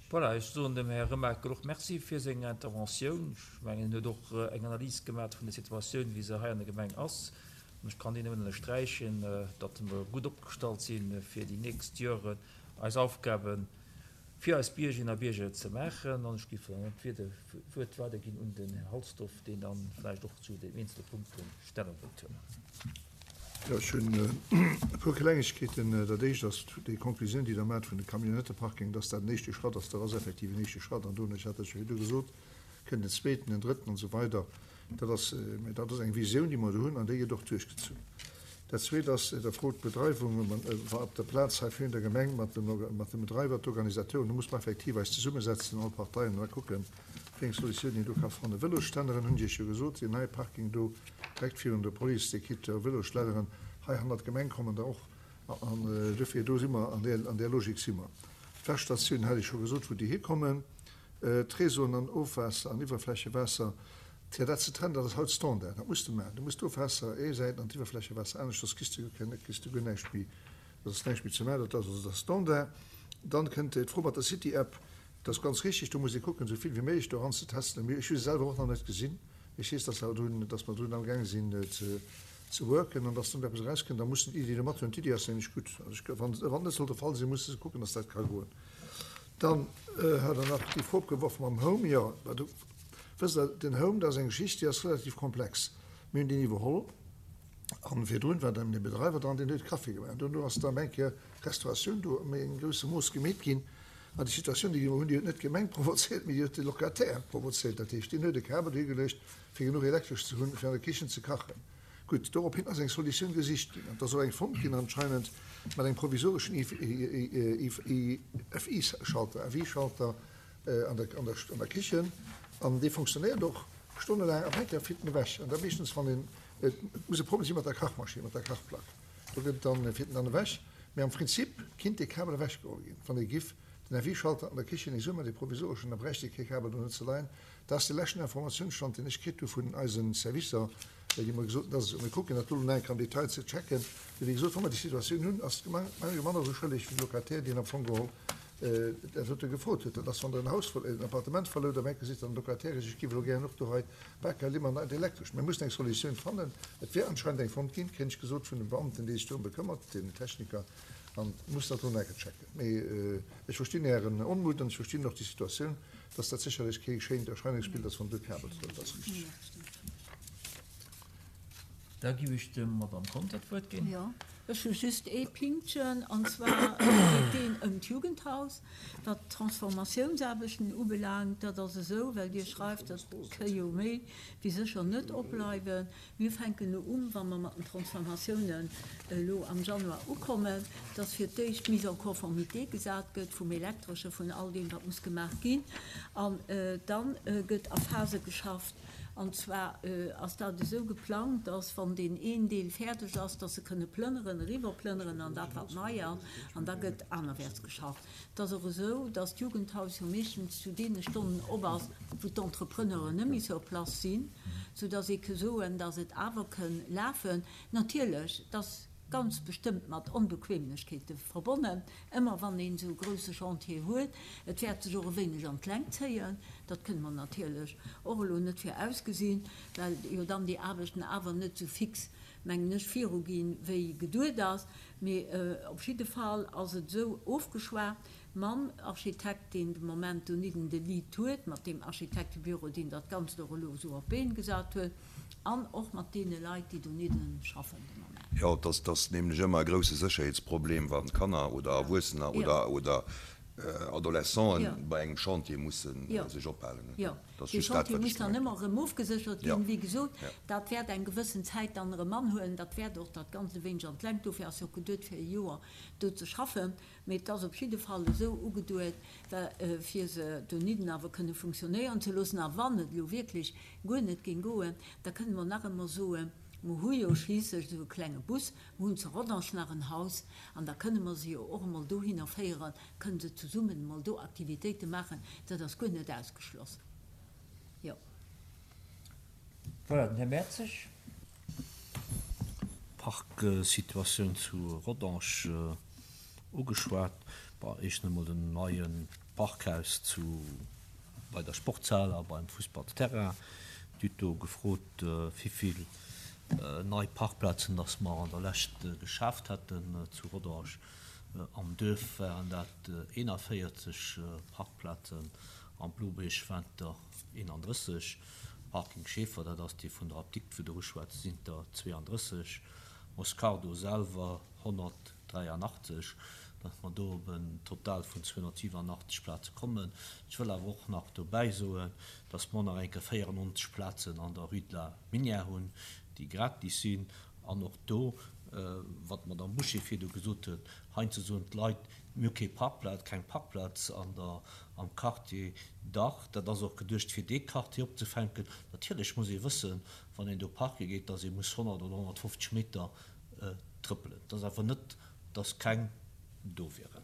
Voilà, ech soen dem Här Remakel och Merci fir seng Interventioun. Ech mengen, en huet och eng Analys gemaach vun der Situatioun, wéi se hei an der Gemeng ass. An ech kann déi nëmmen ënnersträichen, datt mer gutt opgestallt sinn, fir déi nächst Joren eis Aufgabe fir eis Biergerinnen a Bierger ze maachen. An ech géif dann d'Wuert weiderginn un den Här Halsdorf, deen dann vläicht och zu den eenzele Punkte Stellung wëllt huelen. Jo, ech hunn e puer Klengegkeeten. Dat Éischt ass déi Konklusioun, déi Der maacht vun de Camionnetteparking, dass dat en éischte Schratt ass. Dat ass effektiv en éischte Schratt. An dono, ech hat dat scho virdu gesot, kënnt en zweeten, en drëtten an esou weider. Dat ass, mä dat ass eng Visioun, déi mer do hunn, an déi gëtt och duerchgezunn. Dat Zweet ass, Der frot d'Bedreiwung op der Plaz hei virun der Gemeng mat dem, mat dem Bedreiwer, d'Organisateuren. Do muss mer effektiv eis zesummesetzen, all Parteien, an da kucken, wéi eng Solutioun een do ka fannen. Vëlosstänneren hunn ech Iech jo gesot, deen neie Parking do, Direkt virun der Police, déi kritt jo Vëlosschledderen. Hei hannert d'Gemeng kommen der och. An dofir, do si mer, an där, an där Logik si mer. D'Wäschstatioun hat ech scho gesot, wou déi hikommen. D'Réseauen an Ofwaasser an Iwwerflächewaasser, fir dat ze trennen, dat ass haut Standard. Dat muss de maachen. Du muss d'Ofwaasser ee Säit an d'Iwwerflächewaasser anescht, soss kriss de guer keng, kriss de guer näischt méi, soss ass näischt méi ze maachen. Dat ass also de Standard. Dann kënnt d'Fro mat der City-App. Dat ass ganz richtig. Do muss ee kucken, esou vill wéi méiglech do eranzetesten. Mee ech hu se selwer och nach net gesinn. Ech weess, dass mer drun, dass mer drun amgaange sinn ze, ze worken an dass dann eppes erauskënnt. Da mussen d'Iddi do mathunn. D'Iddi ass nämlech gutt. Also ech, wann, wann net sollt de Fall sinn, musse se kucken, dass dat ka goen. Dann hat Der nach déi Fro opgeworf mam Home. Jo, mä do, wësst Der, den Home, dat ass eng Geschicht, déi ass relativ komplex. Mir hunn deen iwwerholl an virdrun war dann dee Bedreiwer dran, deen huet Kaffi gemaach. Duerno ass dann eng Kéier d'Restauratioun do méi engem grousse Mooss gemeet ginn. An déi Situatioun, déi mer hunn, déi huet net d'Gemeng provozéiert, mee déi huet de Locataire provozéiert. Dat heescht, deen huet e Kabel dohigeluecht, fir genuch Elektresch ze hunn, fir an der Kichen ze kachen. Gutt, dorophin ass eng Solutioun gesicht ginn. An et ass och eng fonnt ginn anscheinend mat engem provisoreschen FI-Schalter, FI-Schalter an der Kichen. An dee fonctionnéiert och stonnelaang an eng Kéier flitt en ewech. An da meeschtens, wann een, et muss e Problem si mat der Kachmaschinn, mat der Kachplack. Do gëtt dann, fiert en dann ewech. Mee am Prinzip kinnt dee Kabel ewechgeholl ginn, wann ee giff den FI-Schalter an der Kichen nees uman, dee provisoreschen, da bräicht ee kee Kabel do net ze leien. Dat ass de leschten Informatiounsstand, deen ech kritt hu vun eise Servicer, déi mer gesot hunn, dass et esou. Mir kucken dat do elo nach eng Kéier am Detail ze checken. Mee wéi gesot, wa mer déi Situatioun hunn, ass d'Gemeng manner esou schëlleg wéi de Locataire, deen am Fong geholl dat dote gefrot huet. Dat ass, wann Der en Haus, en Appartement verlout, da merke sech dann d'Locataire, ech giff elo gären och do hei Baka, Limmer an Elektresch. Mir mussen eng Solutioun fannen. Et wär anscheinend eng fonnt ginn, kréien ech gesot vun dem Beamten, dee sech dorëm bekëmmert, den Techniker, an muss dat elo nach eng Kéier checken. Mee ech verstinn Ären Onmut an ech verstinn och déi Situatioun, dass dat sécherlech kee schéint Erscheinungsbild ass, wann do Kabel dran ass. Dat ass richteg. Da giff ech dem Madame Conter d'Wuert ginn. Jo, ech hu just ee Pinktchen, an zwar geet deen ëm d'Jugendhaus. Wat d'Transformatiounsaarbechten ubelaangt, dat ass esou, well Dir schreift, dat ka jo méi wéi sécher net opbleiwen. Mir fänken elo un, wa mer mat den Transformatiounen elo am Januar ukommen, dass fir d'éischt d'Mise en conformité gesat gëtt vum Elektresche, vun all deem, wat muss gemaach ginn. An da gëtt a Phase geschafft. An zwar ass dat esou geplangt, dass, wann deen een Deel fäerdeg ass, dass se kënne plënneren, eriwwerplënneren an dat, wat nei ass, an da gëtt anerwäerts geschafft. Et ass och esou, dass d'Jugendhaus jo meeschtens zu deene Stonnen op ass, wou d'Entrepreneuren net méi sur place sinn, soudass ee ke soen, dass et awer kënn lafen. Natierlech, et ass ganz bestëmmt mat Onbequemlechkeete verbonnen, ëmmer wann een esou e grouse Chantier huet. Et wäert sech och e wéineg an d'Längt zéien, dat kënne mer natierlech och elo net virausgesinn, well jo dann déi Aarbechten awer net esou fix, mengen ech, viruginn, wéi geduet ass. Mee op jidde Fall ass et esou ofgeschwat mam Architekt, deen de Moment donidden de Lead huet, mat deem Architektebüro, deen dat Ganzt och elo esou op d'Been gesat huet, an och mat deene Leit, déi donidden schaffen de Moment. Jo, et ass nämlech ëmmer e grouse Sécherheetsproblem, wa Kanner oder Erwuessener oder Adolescenten bei engem Chantier musse sech ophalen. Jo, dee Chantier muss dann ëmmer erëm ofgeséchert ginn. Wéi gesot, dat wäert eng gewëssen Zäit dann erëm anhuelen. Dat wäert och dat Ganzt e wéineg an d'Längt. Dofir ass jo och geduet, fir e Joer do ze schaffen. Mee et ass op jidde Fall esou ugeduet, fir se donidden awer kënne funktionéieren ze loossen. A wann et elo wierklech guer net géing goen, da kënne mer nach ëmmer soen, Mer hu jo schliisslech esou e klenge Bus, mer hunn zu Rodange nach en Haus, an da kënne mer se jo och emol dohinner féieren, kënne se zesummen emol do Aktivitéite maachen. Dat ass guer net ausgeschloss, jo. Voilà, den Här Mertzig. Parksituatioun zu Rodange ugeschwat. Bon, éischten emol den neien. Parkhaus zu bei der Sportshal a beim Fussballsterrain. Dir hutt do gefrot, wivill nei Parkplazen dass mer an der Lescht geschaaft hätten zu Rodange. Am Duerf waren dat 41 Parkplazen, am Blobierg waren et der 31. Parking Schaefer, dat ass dee vun der Apdikt, wou Der uschwätzt, sinn et der 32. Moscardo selwer 183, datt mer do op en Total vun 287 Plaze kommen. Ech wëll awer och nach dobäi soen, datt mer nach eng Kéier 94 Plazen an der Rue de la Minière hunn, déi gratis sinn. An och do, wat d'Madame Bouché virdu gesot huet, heiansdo soen d'Leit, mir hu kee Parkplaz, keng Parkplaz an der, am Quartier. Dach, dat ass och geduecht, fir dee Quartier opzefänken. Natierlech muss ee wëssen, wann een do parke geet, dass ee muss 100 oder 150 Meter trëppelen. Et ass awer net, dass keng do wieren.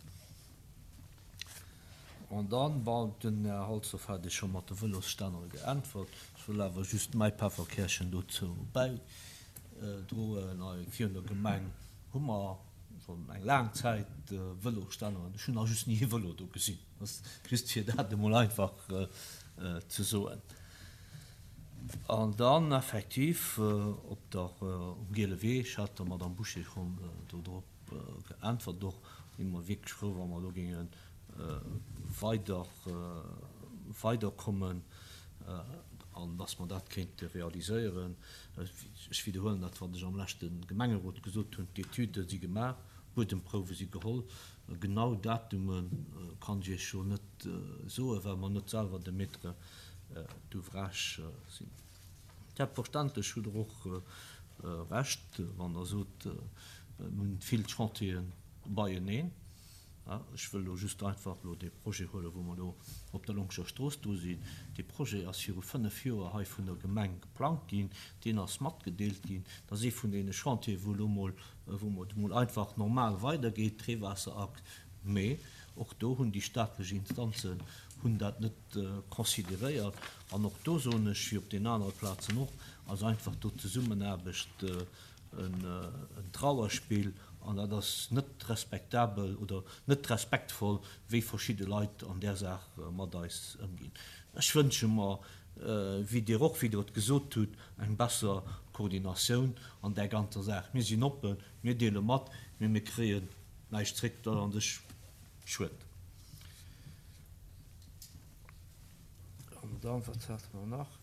An dann, bon, den Här Halsdorf hat Iech scho mat de Vëlosstännere geäntwert. Ech wëll awer just mäi Pefferkärchen dozou bäidroen. Hei virun der Gemeng hu mer schonn eng laang Zäit Vëlosstänneren. Ech hunn nach just ni e Vëlo do gesinn. Just fir dat emol einfach ze soen. An dann effektiv op der, um Giele Wee, ech hat der Madame Bouché schonn do drop geäntwert och, si mer wierklech frou, wa mer do géinge weider, weiderkommen an dass mer dat kéinte realiséieren. Ech widderhuelen dat, wat ech am leschte Gemengerot gesot hunn, D'Etüde si gemaach, Buedemprouwe si geholl. Genau Datume kann ech Iech jo net soen, well mer net selwer de Maître d'ouvrage sinn. Selbstverständlech hutt Der och Recht, wann Der sot, mir hunn vill Chantiere beieneen. Ech wëll elo just einfach elo dee Projet huelen, wou mer elo op der Longscher Strooss dru sinn. Dee Projet ass viru fënnf Joer hei vun der Gemeng geplangt ginn. Deen ass matgedeelt ginn. Dat ass ee vun deene Chantieren, wou elo mol, wou et emol einfach normal weidergeet, d'Reewaasserachs. Mee och do hunn déi staatlech Instanzen hunn dat net consideréiert. An och do soen ech, wéi op den anere Plazen och, ass einfach do d'Zesummenaarbecht en Trauerspill an dat ass net respektabel oder net respektvoll, wéi verschidde Leit an där Saach mat eis ëmginn. Ech wënsche mer, wéi Dir och, wéi Der et gesot hutt, eng besser Koordinatioun an där ganzer Saach. Mir sinn oppen, mir deele mat, mee mir kréien näischt zréck. Dat ass an sech schued. An dann, wat hate mer nach?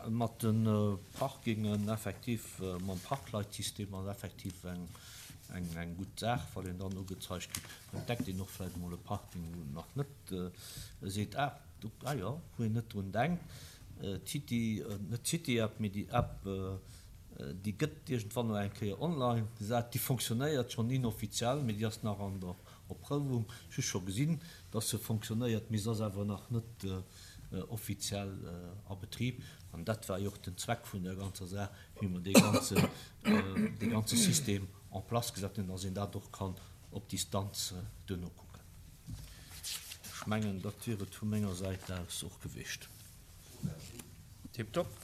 Mat de Parkingen, effektiv, mam Parkleitsystem ass effektiv eng gutt Saach, wann een dann ugezeigt kritt, entdeckt een och vläicht emol e Parking, wou en nach net seet, ah, do, ah jo, wou een net drun denkt. D'City, net d'City-App, mee déi App, déi gëtt iergendwann no eng Kéier online gesat. Déi fonctionnéiert schonn inoffiziell, mee déi ass nach an der Erprouwung. Ech hu scho gesinn, dass se fonctionnéiert, mee se ass awer nach net offiziell a Betrib. An dat war jo och den Zweck vun der ganzer Saach, wéi mer dee ganze, dee ganze System en place gesat hunn, dass een dat och kann op Distanz duerno kucken. Ech mengen, dat wier et vu menger Säit aus och gewiescht. Tiptop.